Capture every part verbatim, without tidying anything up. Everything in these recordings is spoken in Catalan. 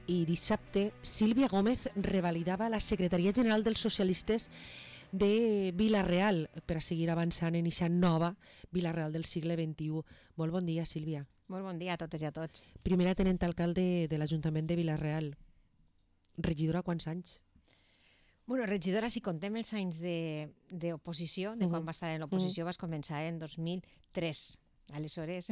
i dissabte Sílvia Gómez revalidava la secretaria general dels socialistes de Vila-real per a seguir avançant en aquesta nova Vila-real del segle vint-i-u. Molt bon dia, Sílvia. Molt bon dia a totes i a tots. Primera tenent alcalde de l'Ajuntament de Vila-real. Regidora, quants anys? Bueno, regidora, si contem els anys d'oposició, de, de quan uh -huh. va estar en l'oposició, uh -huh. vas començar en dos mil tres. Aleshores,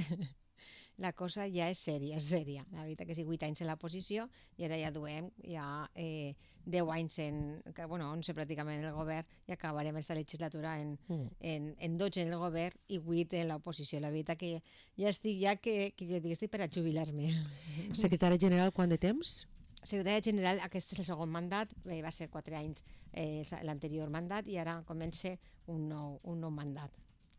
la cosa ja és sèria, és sèria. La veritat que sí, vuit anys en l'oposició i ara ja duem ja eh, deu anys en, que, bueno, onze pràcticament en el govern i acabarem aquesta legislatura en, mm. en, en dotze en el govern i vuit en l'oposició. La veritat que ja estic, ja que, que ja estic per a jubilar-me. Secretària general, quant de temps? Secretària general, aquest és el segon mandat, eh, va ser quatre anys eh, l'anterior mandat i ara comença un nou, un nou mandat.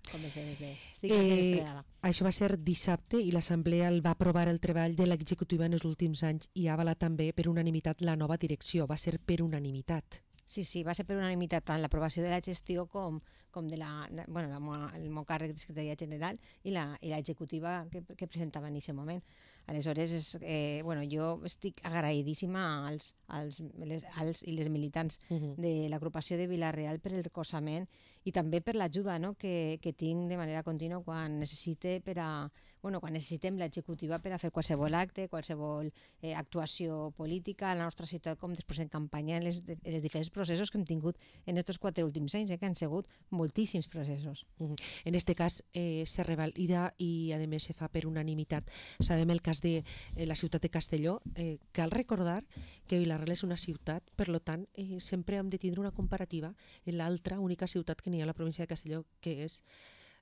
De... Estic eh, això va ser dissabte i l'Assemblea el va aprovar el treball de l'executiva en els últims anys i ha avalat també per unanimitat la nova direcció. Va ser per unanimitat. Sí, sí, va ser per unanimitat tant l'aprovació de la gestió com, com de la, bueno, la, el meu càrrec de secretaria general i la, i l'executiva que, que presentava en aquest moment. Aleshores, és, eh, bueno, jo estic agraïdíssima als, als, les, als i les militants uh -huh. de l'agrupació de Vila-real per el recolzament i també per l'ajuda, no?, que, que tinc de manera contínua quan necessite per a, bueno, quan necessitem l'executiva per a fer qualsevol acte, qualsevol eh, actuació política a la nostra ciutat, com després en campanya en les, en les diferents processos que hem tingut en aquests quatre últims anys, eh, que han sigut moltíssims processos. Uh -huh. En este cas eh, se revalida i a més se fa per unanimitat. Sabem el cas de eh, la ciutat de Castelló. Eh, cal recordar que Vila-real és una ciutat, per lo tant eh, sempre hem de tindre una comparativa en l'altra única ciutat que n'hi ha a la província de Castelló, que és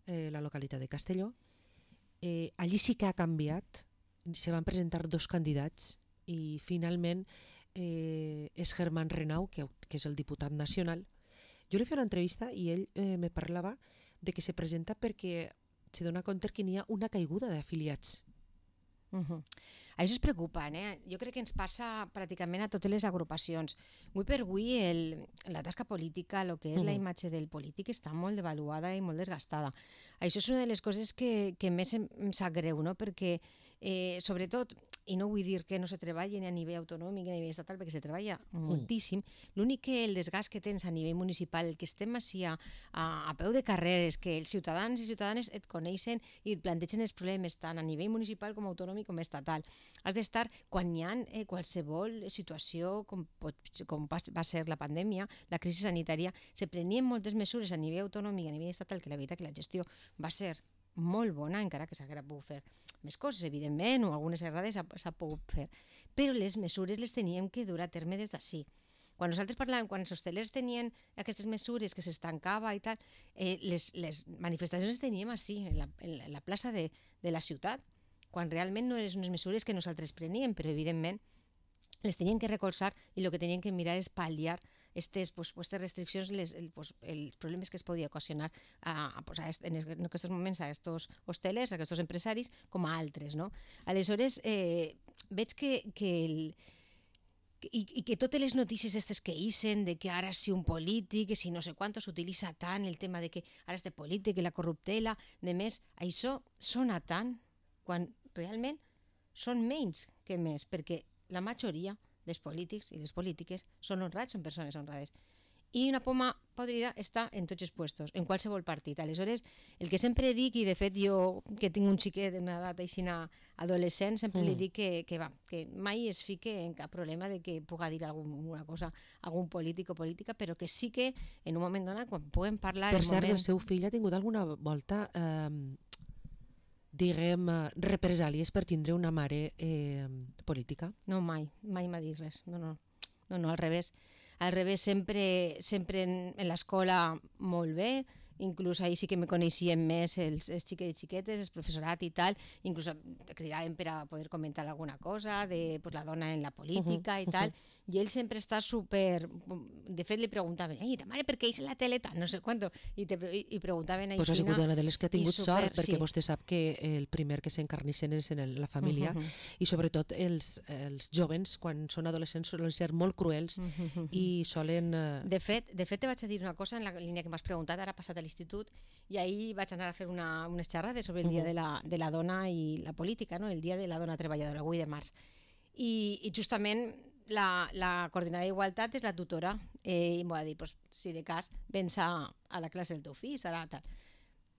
eh, la localitat de Castelló. Eh, allí sí que ha canviat, se van presentar dos candidats i finalment eh, és Germán Renau, que, que és el diputat nacional. Jo li feia una entrevista i ell eh, me parlava de que se presenta perquè se dona compte que n'hi ha una caiguda d'afiliats. Uh -huh. Això és preocupant, eh? Jo crec que ens passa pràcticament a totes les agrupacions. Avui per avui el, la tasca política, el que és uh -huh. la imatge del polític està molt devaluada i molt desgastada. Això és una de les coses que, que més em, em sap greu, no? Perquè eh, sobretot, i no vull dir que no se treballi ni a nivell autonòmic ni a nivell estatal, perquè se treballa mm. moltíssim, l'únic que el desgast que tens a nivell municipal, el que estem així a, a, a peu de carreres, que els ciutadans i ciutadanes et coneixen i et plantegen els problemes tant a nivell municipal com autonòmic com estatal. Has d'estar, quan hi ha eh, qualsevol situació com, pot, com va ser la pandèmia, la crisi sanitària, se prenien moltes mesures a nivell autonòmic i a nivell estatal, que la veritat que la gestió va ser molt bona, encara que s'haguera pogut fer més coses, evidentment, o algunes errades s'ha pogut fer, però les mesures les teníem que dur a terme des d'ací. Quan nosaltres parlàvem, quan els hostelers tenien aquestes mesures que s'estancava i tal, eh, les, les manifestacions les teníem així, en la, en la plaça de, de la ciutat, quan realment no eren unes mesures que nosaltres preníem, però evidentment les tenien que recolzar i el que tenien que mirar és pal·liar aquestes pues, pues, restriccions, les, el, pues, els problemes que es podia ocasionar a, a, pues, a est, en aquests moments a aquests hostelers, a aquests empresaris, com a altres, no? Aleshores, eh, veig que, que el, i, i que totes les notícies aquestes que isen de que ara si un polític, que si no sé quant s'utilitza tant el tema de que ara este polític, que la corruptela, de més, això sona tant quan realment són menys que més, perquè la majoria dels polítics i les polítiques són honrats, són persones honrades. I una poma podrida està en tots els puestos, en qualsevol partit. Aleshores, el que sempre dic, i de fet jo que tinc un xiquet d'una edat aixina adolescent, sempre mm. li dic que, que, va, que mai es fique en cap problema de que puga dir alguna cosa a algun polític o política, però que sí que en un moment donat, quan puguem parlar... Per cert, moment... el seu fill ha tingut alguna volta... Eh... diguem, represàlies per tindre una mare eh, política? No, mai, mai m'ha dit res, no, no, no, no, al revés, al revés, sempre, sempre en, en l'escola molt bé, inclús ahir sí que me coneixien més els, els xiquets i xiquetes, el professorat i tal, inclús cridaven per a poder comentar alguna cosa de pues, la dona en la política uh -huh, i tal, uh -huh. i ell sempre està super... De fet, li preguntaven, ei, ta mare, per què és en la tele tal? No sé quant, i, te, i, i preguntaven a Pues ha sigut una de les que ha tingut super, sort, perquè sí. vostè sap que el primer que s'encarnissen és en el, la família, uh -huh. i sobretot els, els jovens, quan són adolescents, solen ser molt cruels uh -huh. i solen... Uh... De fet, de fet, te vaig a dir una cosa en la línia que m'has preguntat, ara passat a l'institut, i ahir vaig anar a fer una, unes xerrades sobre el dia uh -huh. de, la, de la dona i la política, no? El dia de la dona treballadora, avui de març. i, i justament la, la coordinadora d'Igualtat és la tutora eh, i m'ho va dir, pues, si de cas vens a, a la classe del teu fill, serà tal.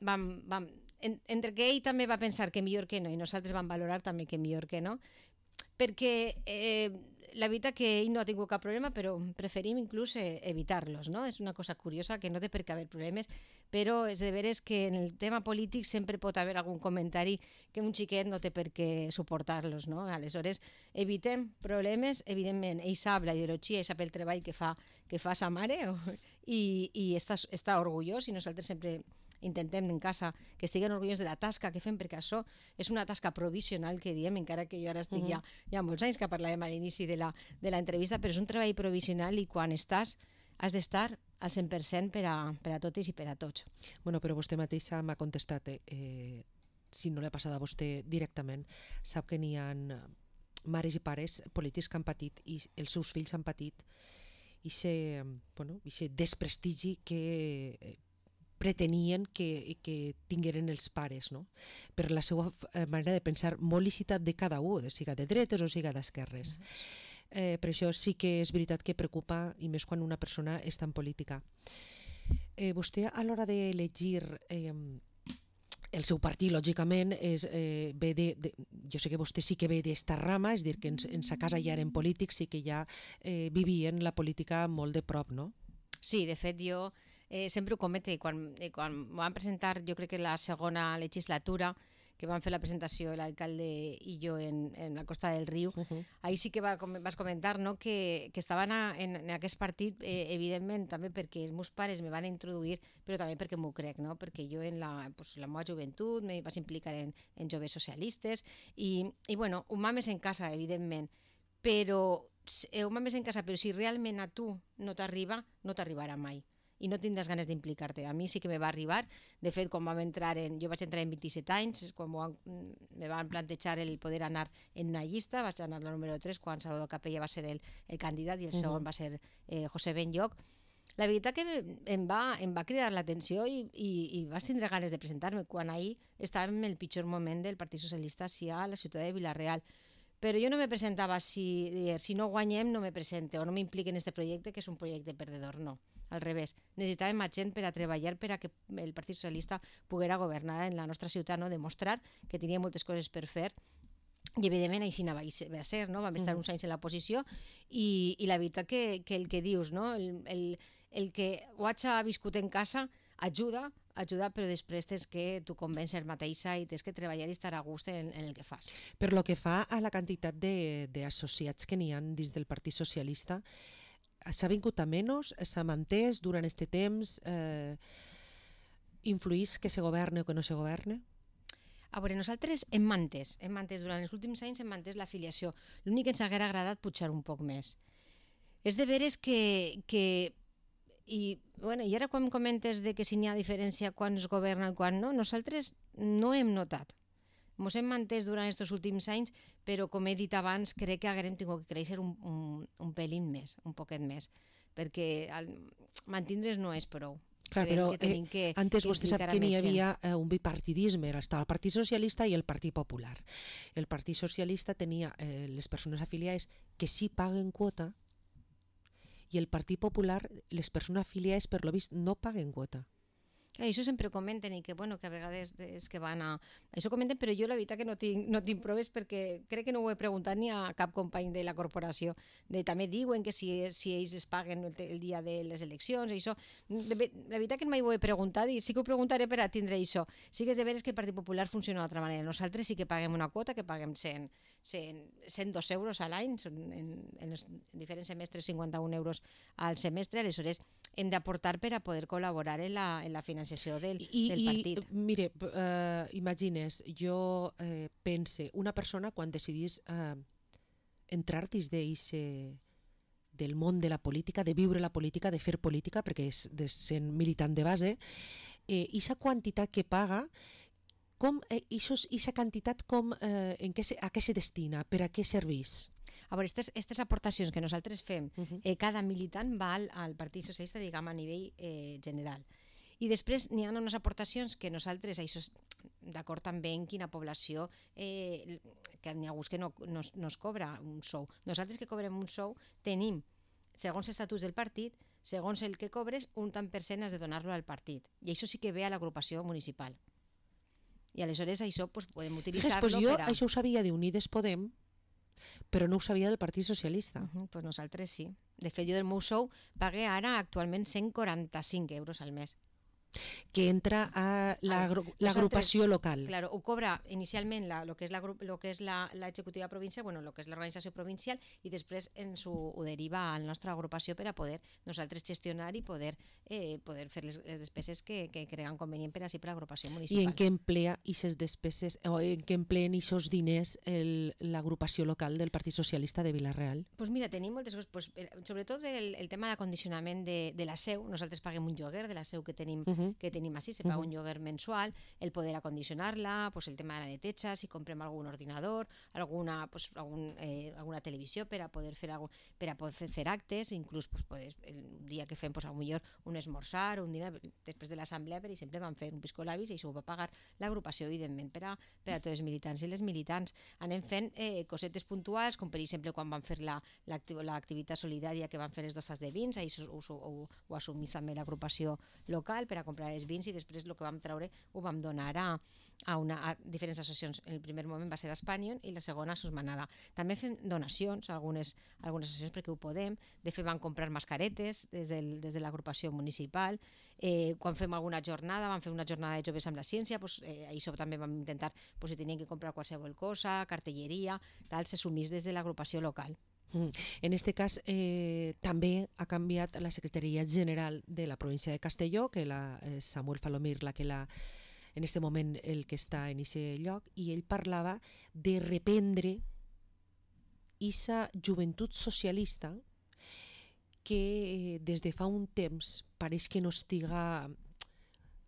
Vam, vam, en, entre que ell també va pensar que millor que no i nosaltres vam valorar també que millor que no, perquè eh, la veritat que ell no ha tingut cap problema, però preferim inclús eh, evitar-los, no? És una cosa curiosa que no té per què haver problemes, però és de veres que en el tema polític sempre pot haver algun comentari que un xiquet no té per què suportar-los, no? Aleshores, evitem problemes, evidentment, ell sap la ideologia, ell sap el treball que fa, que fa sa mare i, i està, està orgullós i nosaltres sempre intentem en casa que estiguen orgullosos de la tasca que fem, perquè això és una tasca provisional que diem, encara que jo ara estic uh-huh. ja, ja molts anys que parlàvem a l'inici de l'entrevista, però és un treball provisional i quan estàs has d'estar al cent per cent per a, per a totes i per a tots. Bueno, però vostè mateixa m'ha contestat, eh, si no l'ha passat a vostè directament, sap que n'hi ha mares i pares polítics que han patit i els seus fills han patit i se, bueno, desprestigi que pretenien que, que tingueren els pares, no? Per la seva manera de pensar molt lícita de cada un, siga de dretes o siga d'esquerres. Eh, per això sí que és veritat que preocupa, i més quan una persona està en política. Eh, vostè a l'hora d'elegir eh, el seu partit, lògicament, és, eh, ve de, de, jo sé que vostè sí que ve d'esta rama, és dir, que en, en sa casa ja eren polítics i que ja eh, vivien la política molt de prop, no? Sí, de fet jo eh, sempre ho comete, quan, eh, quan m'ho van presentar, jo crec que la segona legislatura, que van fer la presentació l'alcalde i jo en, en la Costa del Riu, uh-huh. ahí sí que va, vas comentar, no, que, que estaven a, en, en aquest partit, eh, evidentment, també perquè els meus pares me van introduir, però també perquè m'ho crec, no? Perquè jo en la, pues, la meva joventut me vaig implicar en, en joves socialistes i, i bueno, un mames en casa, evidentment, però eh, un mames en casa, però si realment a tu no t'arriba, no t'arribarà mai. I no tindràs ganes d'implicar-te. A mi sí que me va arribar. De fet, quan vam entrar en... jo vaig entrar en vint-i-set anys, quan van, me van plantejar el poder anar en una llista, vaig anar la número tres, quan Salvador Capella va ser el, el candidat i el segon uh-huh. va ser eh, José Benlloch. La veritat que em va, em va cridar l'atenció i, i, i vaig tindre ganes de presentar-me quan ahir estàvem en el pitjor moment del Partit Socialista sí, a la ciutat de Vila-real. Però jo no me presentava si, si no guanyem no me presente o no m'implique en aquest projecte que és un projecte perdedor, no. Al revés, necessitàvem més gent per a treballar per a que el Partit Socialista poguera governar en la nostra ciutat, no? Demostrar que tenia moltes coses per fer i evidentment així va a ser, no? Vam estar uns anys en l'oposició i, i la veritat que, que el que dius, no? el, el, el que ho haig viscut en casa ajuda, ajuda, però després tens que tu convèncer mateixa i tens que treballar i estar a gust en, en el que fas. Per lo que fa a la quantitat d'associats que n'hi ha dins del Partit Socialista, s'ha vingut a menys, s'ha mantès durant aquest temps, eh, influís que se governe o que no se governe? A veure, nosaltres hem mantès, hem mantès durant els últims anys hem mantès l'afiliació. L'únic que ens haguera agradat pujar un poc més. És de veres que... que i, bueno, i ara quan comentes de que si n'hi ha diferència quan es governa i quan no, nosaltres no hem notat. Ens hem mantès durant aquests últims anys, però com he dit abans, crec que haguem tingut que créixer un, un, un pelín més, un poquet més, perquè el, mantindre's no és prou. Clar, però que eh, que, antes vostè sap que n'hi havia eh, un bipartidisme, estava el Partit Socialista i el Partit Popular. El Partit Socialista tenia eh, les persones afiliades que sí paguen quota i el Partit Popular, les persones afiliades per lo vist no paguen quota. Això sempre ho comenten i que, bueno, que a vegades és que van a... Això comenten, però jo la veritat que no tinc, no tinc proves perquè crec que no ho he preguntat ni a cap company de la corporació. De, també diuen que si, si ells es paguen el, el dia de les eleccions, això... De, la veritat que mai ho he preguntat i sí que ho preguntaré per a tindre això. Sí que és de veres que el Partit Popular funciona d'altra manera. Nosaltres sí que paguem una quota, que paguem cent, cent, cent dos euros a l'any, en, en els diferents semestres cinquanta-un euros al semestre, aleshores hem d'aportar per a poder col·laborar en la, en la financiació del, I, del partit. I, mire, uh, imagines, jo eh, pense, una persona quan decidís uh, entrar dins d'eixe del món de la política, de viure la política, de fer política, perquè és de sent militant de base, eh, ixa quantitat que paga, com, eh, ixa quantitat com, eh, en què se, a què se destina, per a què serveix? A veure, aquestes aportacions que nosaltres fem, uh-huh. eh, cada militant va al, al Partit Socialista, diguem, a nivell eh, general. I després n'hi ha unes aportacions que nosaltres, això d'acord també en quina població, eh, que n'hi ha hagut que no, no, no es cobra un sou. Nosaltres que cobrem un sou tenim, segons estatuts del partit, segons el que cobres, un tant per cent has de donar-lo al partit. I això sí que ve a l'agrupació municipal. I aleshores això pues, podem utilitzar-lo pues jo per a... això ho sabia d'Unides Podem, però no ho sabia del Partit Socialista. Uh -huh, pues nosaltres sí. De fet, jo del meu sou pagué ara actualment cent quaranta-cinc euros al mes. Que entra a l'agrupació local. Claro, ho cobra inicialment la, lo que és la lo que és la, la executiva provincial, bueno, lo que és l'organització provincial, i després ens ho, ho deriva a la nostra agrupació per a poder nosaltres gestionar i poder, eh, poder fer les, les despeses que, que creguen convenient per així per l'agrupació municipal. I en què emplea aquestes despeses, o en què empleen aquests diners l'agrupació local del Partit Socialista de Vila-real? Doncs pues mira, tenim moltes coses, pues, sobretot el, el tema d'acondicionament de, de la seu. Nosaltres paguem un lloguer de la seu que tenim uh -huh. que tenim així, se paga un lloguer mensual, el poder acondicionar-la, pues el tema de la neteja, si comprem algun ordinador, alguna, pues, algun, eh, alguna televisió per a poder fer, algun, per a poder fer actes, inclús pues, poder, el dia que fem pues, potser un esmorzar, un dinar, després de l'assemblea, per exemple, vam fer un piscolabis i això ho va pagar l'agrupació, evidentment, per a, per a tots els militants i les militants. Anem fent eh, cosetes puntuals, com per exemple quan vam fer l'activitat solidària que van fer les dossas de vins, això ho, ho, ho, ho assumís també l'agrupació local per a comprar els vins, i després el que vam treure ho vam donar a, a, una, a diferents associacions. En el primer moment va ser Espanyol i la segona a Susmanada. També fem donacions a algunes, a algunes associacions perquè ho podem. De fet van comprar mascaretes des, del, des de l'agrupació municipal. Eh, quan fem alguna jornada, vam fer una jornada de joves amb la ciència, pues, eh, això també vam intentar, pues, si tenien que comprar qualsevol cosa, cartelleria, tal, se sumís des de l'agrupació local. En aquest cas, eh, també ha canviat la Secretaria General de la província de Castelló, que la eh, Samuel Falomir, la que la, en aquest moment el que està en aquest lloc, i ell parlava de reprendre aquesta joventut socialista que eh, des de fa un temps pareix que no estiga...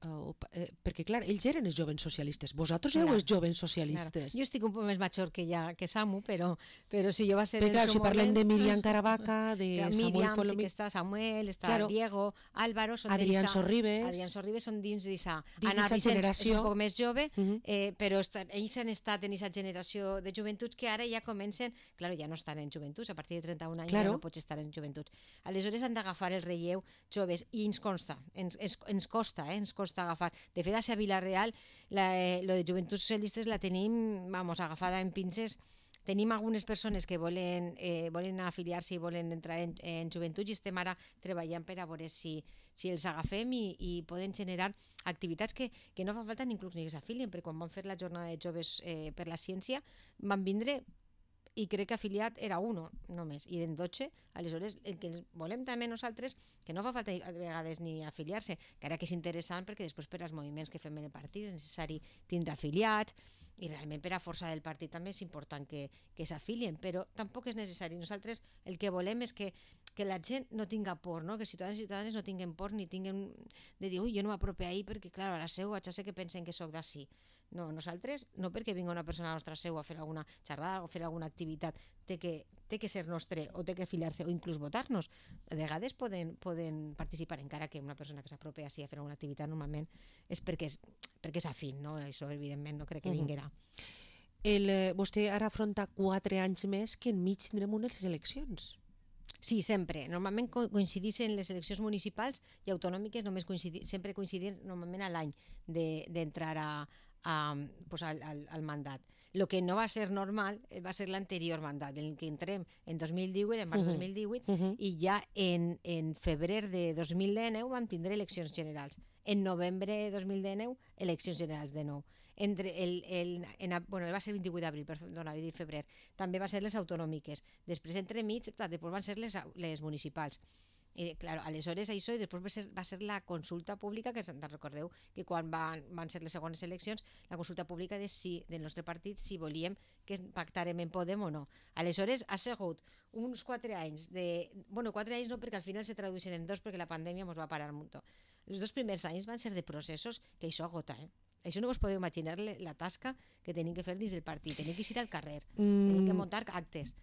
Uh, eh, perquè clar, ells eren els jovens socialistes, vosaltres éreu els jovens socialistes. Claro. Jo estic un poc més major que ja que Samu, però, però si jo va ser però, clar, en si su parlem moment... de Miriam Caravaca, de Miriam, Samuel Folomir... sí que està Samuel, està claro. Diego, Álvaro... Són Adrián Sorribes... Adrián Sorribes són dins d'issa... Ana Vicens generació... és un poc més jove, uh -huh. eh, però estan, ells han estat en aquesta generació de joventuts que ara ja comencen... Claro, ja no estan en joventuts, a partir de trenta-un anys claro. ja no pots estar en joventuts. Aleshores han d'agafar el relleu joves, i ens consta, ens, ens, ens costa, eh, ens costa agafar. De fet, a Vila-real, la, eh, lo de Joventuts Socialistes la tenim, vamos, agafada en pinces. Tenim algunes persones que volen, eh, volen afiliar-se i volen entrar en, en joventut, i estem ara treballant per a veure si, si els agafem i, i poden generar activitats que, que no fa falta ni inclús ni que s'afilien, perquè quan van fer la jornada de joves eh, per la ciència van vindre i crec que afiliat era uno només, i eren dotze. Aleshores, el que volem també nosaltres, que no fa falta a vegades ni afiliar-se, que ara que és interessant perquè després per als moviments que fem en el partit és necessari tindre afiliats, i realment per a força del partit també és important que, que s'afilien, però tampoc és necessari. Nosaltres el que volem és que, que la gent no tinga por, no? Que ciutadans i ciutadanes no tinguen por ni tinguen de dir, ui, jo no m'aprope ahir perquè, clar, a la seu ja sé que pensen que sóc d'ací. No, nosaltres, no perquè vingui una persona a la nostra seu a fer alguna xerrada o fer alguna activitat, té que, té que ser nostre o té que afiliar-se o inclús votar-nos. A vegades poden, poden participar, encara que una persona que s'apropi així a fer alguna activitat normalment és perquè és, perquè és afín, no? Això evidentment no crec que vinguerà. El, eh, vostè ara afronta quatre anys més que enmig tindrem unes eleccions. Sí, sempre. Normalment coincideixen les eleccions municipals i autonòmiques, només coincidir, sempre coincidir normalment a l'any d'entrar a, a, pues al, al, al mandat. El que no va ser normal va ser l'anterior mandat, en el que entrem en dos mil divuit, en març de dos mil divuit, uh -huh. i ja en, en febrer de dos mil dinou vam tindre eleccions generals. En novembre de dos mil dinou, eleccions generals de nou. Entre el, el, en, bueno, va ser el vint-i-vuit d'abril, perdona, he dit febrer. També va ser les autonòmiques. Després, entremig, després van ser les, les municipals. I, clar, aleshores això, i després va ser, va ser la consulta pública, que te'n recordeu que quan van, van ser les segones eleccions, la consulta pública de si, del nostre partit, si volíem que pactarem en Podem o no. Aleshores ha sigut uns quatre anys de... Bueno, quatre anys no, perquè al final se tradueixen en dos, perquè la pandèmia ens va parar molt. Els dos primers anys van ser de processos que això agota, eh? Això no us podeu imaginar la tasca que tenim que fer dins del partit. Tenim que ir al carrer, mm. tenim que muntar actes.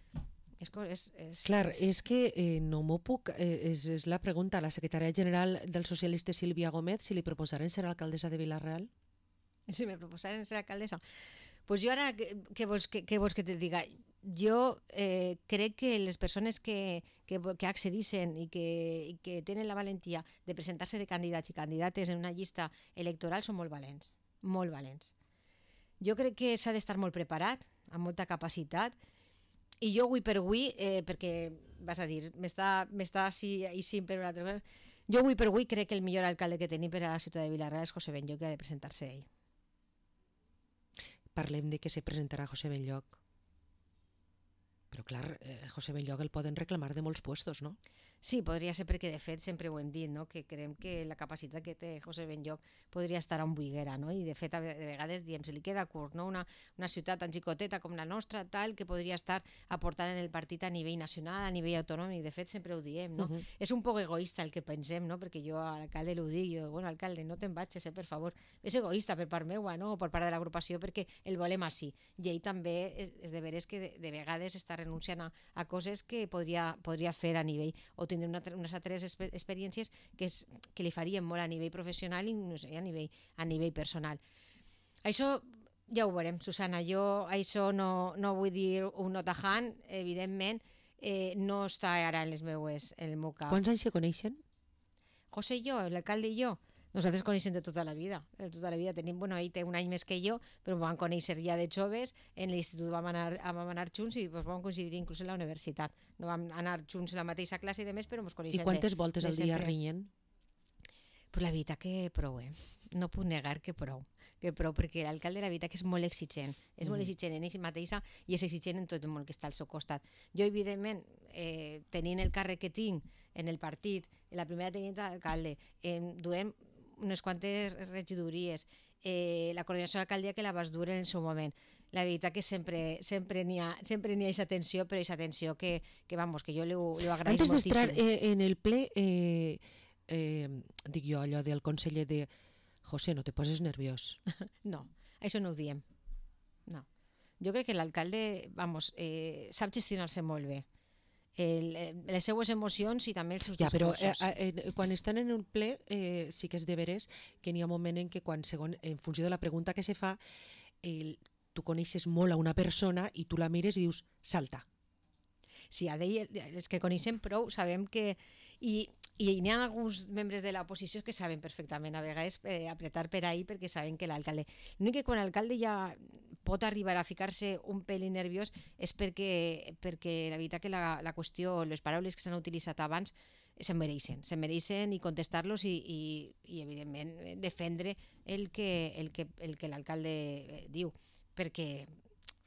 És, és, és, Clar, és que eh, no m'ho puc... Eh, és, és la pregunta a la secretària general dels socialistes, Sílvia Gómez, si li proposaren ser alcaldessa de Vila-real? si me proposaren ser alcaldessa. Pues jo ara, què vols que, què vols que te diga? Jo eh, crec que les persones que, que, que accedissin i que, i que tenen la valentia de presentar-se de candidats i candidates en una llista electoral són molt valents, molt valents. Jo crec que s'ha d'estar molt preparat, amb molta capacitat, i jo avui per avui, eh, perquè vas a dir, m'està així i sim per una altra cosa, jo avui per avui crec que el millor alcalde que tenim per a la ciutat de Vila-real és José Benlloch, que ha de presentar-se ell. Parlem de que se presentarà José Benlloch. Però clar, eh, José Benlloch el poden reclamar de molts puestos, no? Sí, podria ser perquè de fet sempre ho hem dit, no? Que creiem que la capacitat que té José Benlloch podria estar on buiguera, no? I de fet de vegades diem, se li queda curt, no? Una, una ciutat tan xicoteta com la nostra, tal, que podria estar aportant en el partit a nivell nacional, a nivell autonòmic, de fet sempre ho diem, no? Uh -huh. És un poc egoista el que pensem, no? Perquè jo a l'alcalde l'ho dic, jo, bueno, alcalde, no te'n vagis, eh, per favor. És egoista per part meua, no? O per part de l'agrupació, perquè el volem així. I ell també és, és de veres que de, de vegades està renunciant a, a coses que podria, podria fer a nivell, o tindre una, unes altres experiències que, és, que li farien molt a nivell professional i no sé, a nivell, a nivell personal. Això ja ho veurem, Susana. Jo això no, no vull dir un no tajant, evidentment, eh, no està ara en les meues, en el meu cap. Quants anys se coneixen? José i jo, l'alcalde i jo. Nosaltres coneixem de tota la vida, de tota la vida. Tenim, bueno, ell té un any més que jo, però vam conèixer ja de joves, en l'institut vam anar, vam anar junts i doncs, vam coincidir inclús en la universitat. No vam anar junts a la mateixa classe i demés, però ens coneixem. I quantes de, voltes de al dia sempre. rinyen? Pues la veritat que prou, eh? No puc negar que prou, que prou, perquè l'alcalde la veritat que és molt exigent, és mm. molt exigent en ell mateixa i és exigent en tot el món que està al seu costat. Jo, evidentment, eh, tenint el càrrec que tinc en el partit, en la primera tenienta d'alcalde, eh, duem unes quantes regidories, eh, la coordinació d'alcaldia que la vas dur en el seu moment. La veritat que sempre sempre n'hi ha sempre n'hi ha aquesta tensió, però aquesta tensió que, que vamos, que jo li ho, li ho agraïs Antes moltíssim. Antes d'entrar eh, en el ple, eh, eh, dic jo allò del conseller de José, no te poses nerviós. No, això no ho diem. No. Jo crec que l'alcalde, vamos, eh, sap gestionar-se molt bé. El, les seues emocions i també els seus ja, discursos. Però eh, eh, quan estan en un ple eh, sí que és de veres que n'hi ha un moment en què quan, segon, en funció de la pregunta que se fa, el, tu coneixes molt a una persona i tu la mires i dius, salta. Sí, a d'ell, els que coneixem prou sabem que... I, i n'hi ha alguns membres de l'oposició que saben perfectament a vegades eh, apretar per ahí perquè saben que l'alcalde... L'únic que quan l'alcalde ja pot arribar a ficar-se un pèl nerviós és perquè, perquè la veritat que la, la qüestió, les paraules que s'han utilitzat abans se'n mereixen, se'n mereixen i contestar-los i, i, i evidentment defendre el que, el que, el que l'alcalde diu, perquè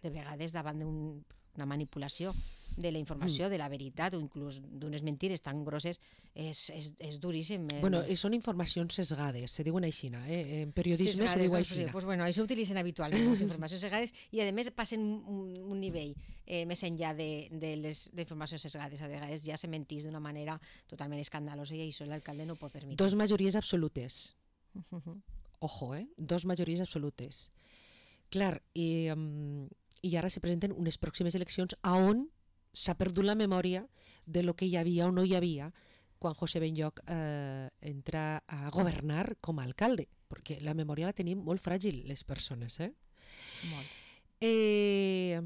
de vegades davant d'una manipulació de la informació, mm. de la veritat o inclús d'unes mentires tan grosses és, és, és duríssim. Bueno, són informacions sesgades, se diuen així, eh? En periodisme sesgades, se diu així. No? Pues bueno, això utilitzen habitualment, les informacions sesgades, i a més passen un, un nivell eh, més enllà de, de les de informacions sesgades. A vegades ja se mentís d'una manera totalment escandalosa i això l'alcalde no ho pot permetre. Dos majories absolutes. Uh-huh. Ojo, eh? Dos majories absolutes. Clar, i, um, i ara se presenten unes pròximes eleccions a on s'ha perdut la memòria de lo que hi havia o no hi havia quan José Benlloch eh, entra a governar com a alcalde, perquè la memòria la tenim molt fràgil les persones. Eh? Molt. Eh,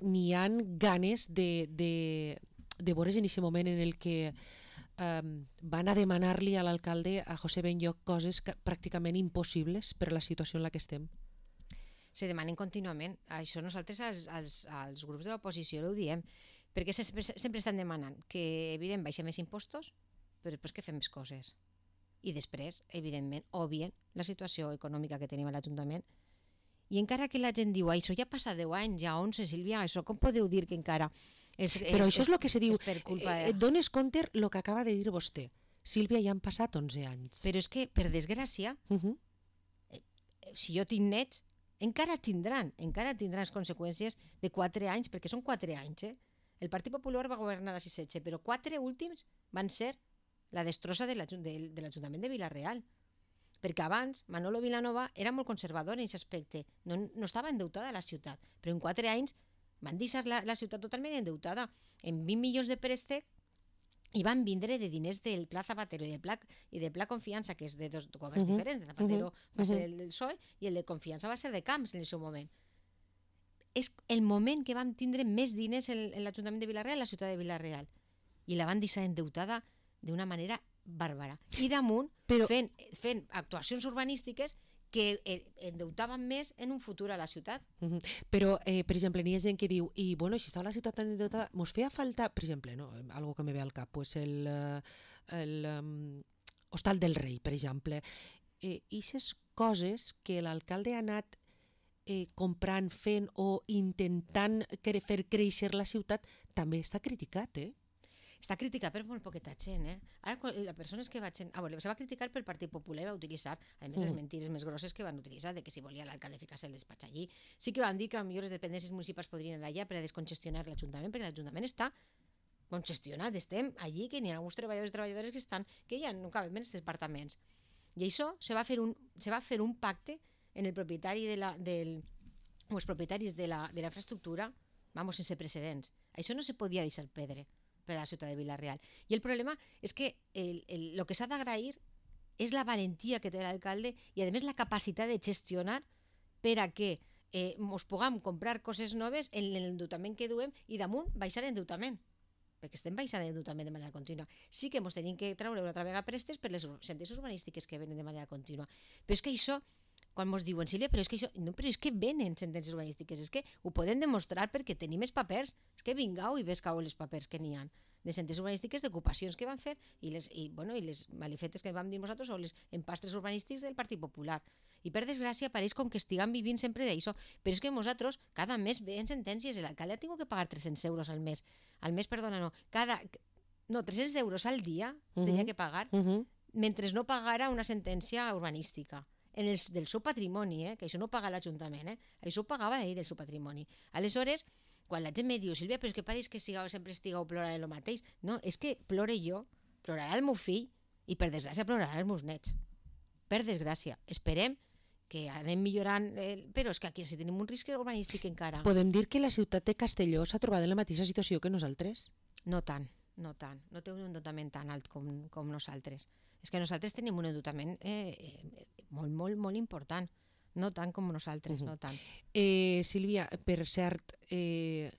n'hi ha ganes de, de, de veure's en aquest moment en el que eh, van a demanar-li a l'alcalde, a José Benlloch, coses que, pràcticament impossibles per la situació en la que estem. Se demanen contínuament. Això nosaltres als, als, als grups de l'oposició ho diem, perquè sempre, sempre estan demanant que, evident, baixem més impostos, però després que fem més coses. I després, evidentment, obvien la situació econòmica que tenim a l'Ajuntament. I encara que la gent diu, això ja passa deu anys, ja onze, Sílvia, això com podeu dir que encara... És, però és, això és el que se diu, de... eh, dones compte el que acaba de dir vostè. Sílvia, ja han passat onze anys. Però és que, per desgràcia, uh-huh. eh, si jo tinc nets, encara tindran, encara tindran les conseqüències de quatre anys, perquè són quatre anys, eh? El Partit Popular va governar a sis setze, però quatre últims van ser la destrossa de l'Ajuntament de Vila-real. Perquè abans Manolo Vilanova era molt conservador en aquest aspecte, no, no estava endeutada la ciutat, però en quatre anys van deixar la, la ciutat totalment endeutada, en vint milions de préstec i van vindre de diners del Pla Zapatero i del Pla, i del Pla Confiança, que és de dos governs Uh-huh. diferents. De Zapatero Uh-huh. va ser el del P S O E i el de Confiança va ser de Camps en el seu moment. És el moment que vam tindre més diners en, en l'Ajuntament de Vila-real, la ciutat de Vila-real. I la van deixar endeutada d'una manera bàrbara. I damunt, Però- fent, fent actuacions urbanístiques que endeutaven més en un futur a la ciutat. Uh -huh. Però, eh, per exemple, n'hi ha gent que diu i, bueno, si estava la ciutat tan endeutada, mos feia falta, per exemple, no? Algo que me ve al cap, pues el, eh, el um, Hostal del Rei, per exemple. Eh, ixes coses que l'alcalde ha anat eh, comprant, fent o intentant cre fer créixer la ciutat, també està criticat, eh? Està criticat per molt poqueta gent, eh? Ara, les persones que vaig... A veure, se va criticar pel Partit Popular, va utilitzar, a més, les Mm. mentires més grosses que van utilitzar, de que si volia l'alcalde ficar-se el despatx allí. Sí que van dir que potser les dependències municipals podrien anar allà per a descongestionar l'Ajuntament, perquè l'Ajuntament està congestionat, estem allí, que n'hi ha alguns treballadors i treballadores que estan, que ja no caben en els departaments. I això se va fer un, se va fer un pacte en el propietari de la, del, o els propietaris de la, de la infraestructura, vamos, sense precedents. Això no se podia deixar perdre per a la ciutat de Vila-real. I el problema és que el, el, el que s'ha d'agrair és la valentia que té l'alcalde i, a més, la capacitat de gestionar per a que eh, ens puguem comprar coses noves en l'endeutament que duem i damunt baixar l'endeutament, perquè estem baixant l'endeutament de manera contínua. Sí que ens tenim que treure una altra vegada prestes per les sentències urbanístiques que venen de manera contínua. Però és que això, quan ens diuen, Sílvia, però és que això, no, però és que venen sentències urbanístiques, és que ho podem demostrar perquè tenim els papers, és que vingau i vescau els papers que n'hi ha de sentències urbanístiques d'ocupacions que van fer i les, i, bueno, i les malifetes que vam dir nosaltres o les empastres urbanístics del Partit Popular. I per desgràcia pareix com que estiguem vivint sempre d'això, però és que nosaltres cada mes veiem sentències, l'alcalde ha tingut que pagar tres-cents euros al mes, al mes, perdona, no, cada, no, tres-cents euros al dia uh-huh. tenia que pagar, Uh-huh. mentre no pagara una sentència urbanística en el, del seu patrimoni, eh? Que això no paga l'Ajuntament, eh? Això ho pagava ell del seu patrimoni. Aleshores, quan la gent me diu, Sílvia, però és que pareix que siga, sempre estigueu plorant el mateix. No, és que plore jo, plorarà el meu fill i per desgràcia plorarà els meus nets. Per desgràcia. Esperem que anem millorant, el... però és que aquí sí tenim un risc urbanístic encara. Podem dir que la ciutat de Castelló s'ha trobat en la mateixa situació que nosaltres? No tant, no tant. No té un endeutament tan alt com, com nosaltres. És que nosaltres tenim un endeutament eh, eh, molt, molt, molt important. No tant com nosaltres, uh-huh. no tant. Eh, Sílvia, per cert, eh,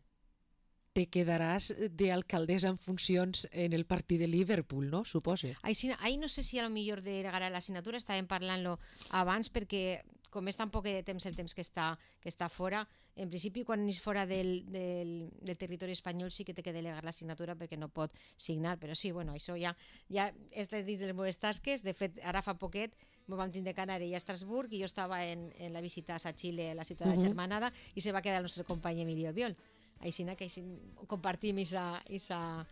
te quedaràs d'alcaldessa en funcions en el partit de Liverpool, no? Supose. Ahí, sí, ahí no sé si a lo millor delegarà la signatura, estàvem parlant-lo abans perquè com és tan poc de temps el temps que està, que està fora, en principi quan és fora del, del, del territori espanyol sí que té que delegar la signatura perquè no pot signar, però sí, bueno, això ja, ja és dins de les meves tasques. De fet, ara fa poquet m'ho vam tindre que anar a Estrasburg i jo estava en, en la visita a Xile, a la ciutat uh-huh. germanada, i se va quedar el nostre company Emilio Biol. Així que així compartim aquesta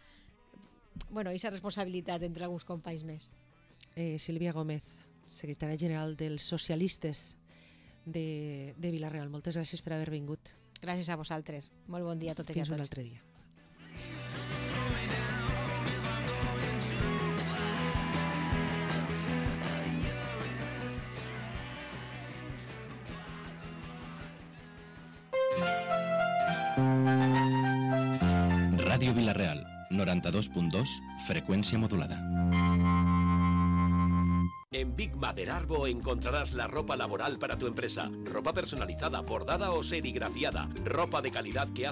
bueno, responsabilitat entre alguns companys més. Eh, Sílvia Gómez, secretària general dels socialistes de, de Vila-real. Moltes gràcies per haver vingut. Gràcies a vosaltres. Molt bon dia a totes i a tots. Fins un altre dia. Ràdio Vila-real, noranta-dos punt dos, frecuencia modulada. En Big Mother Arbo encontrarás la ropa laboral para tu empresa. Ropa personalizada, bordada o serigrafiada. Ropa de calidad que hace